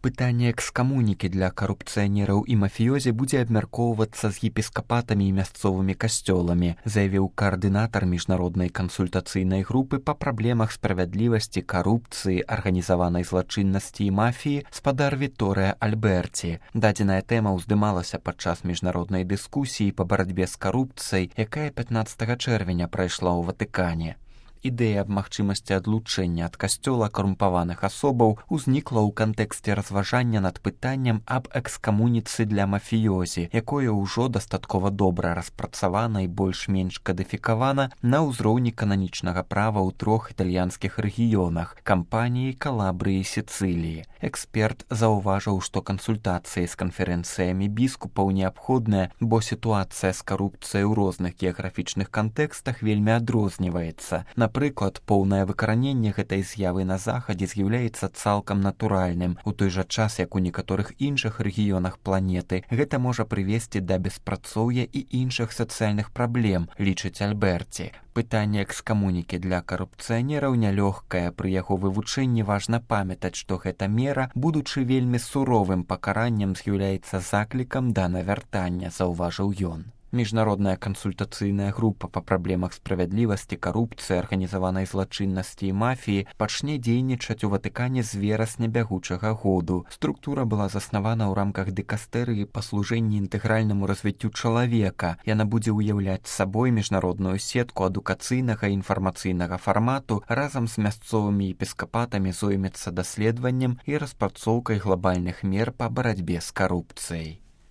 Пытанне экскамунікі для карупцыянераў і мафіёзі будзе абмяркоўвацца з епіскапатамі і мясцовымі касцёламі, заявіў каардынатар міжнароднай кансультацыйнай групы па праблемах справядлівасці, карупцыі, арганізаванай злачыннасці і мафіі спадар Вікторыя Альберці. Дадзеная тэма ўздымалася падчас міжнароднай дыскусіі па барацьбе з карупцыяй, якая 15 чэрвеня прайшла ў Ватыкане. Ідэя аб магчымасці адлучэння ад касцёла карумпаваных асобаў узнікла ў кантэксце разважання над пытаннем аб экскамуніцы для мафіёзі, якое ўжо дастаткова добра распрацавана і больш-менш кадыфікавана на ўзроўні кананічнага права ў 3 італьянскіх рэгіёнах – Кампаніі, Калабрыі і Сіцыліі. Эксперт заўважыў, што кансультацыі з канферэнцыямі біскупаў неабходныя, бо сітуацыя з карупцыяй у розных геаграфічных кантэкстах вельмі адрозніваецца. Напрыклад, поўнае выкараненне гэтай з'явы на захадзе з'яўляецца цалкам натуральным, у той жа час, як у некаторых іншых рэгіёнах планеты гэта можа прывесці да беспрацоўя і іншых сацыяльных праблем, лічыць Альберці. Пытанне экскамунікі для карупцыянераў нялёгкае, пры яго вывучэнні важна памятаць, што гэта мера, будучы вельмі суровым пакараннем, з'яўляецца заклікам да навяртання, заўважыў ён. Міжнародная кансультацыйная група па праблемах справядлівасці, карупцыі, арганізаванай злачыннасці і мафіі пачне дзейнічаць у Ватыкане з верасня бягучага году. Структура была заснавана ў рамках дыкастэрыі па служэнні інтэгральнаму развіццю чалавека. Яна будзе ўяўляць сабой міжнародную сетку адукацыйнага і інфармацыйнага фармату, разам з мясцовымі епіскапатамі зоймецца даследаваннем і распрацоўкай глабальных мер па барацьбе з карупцыяй.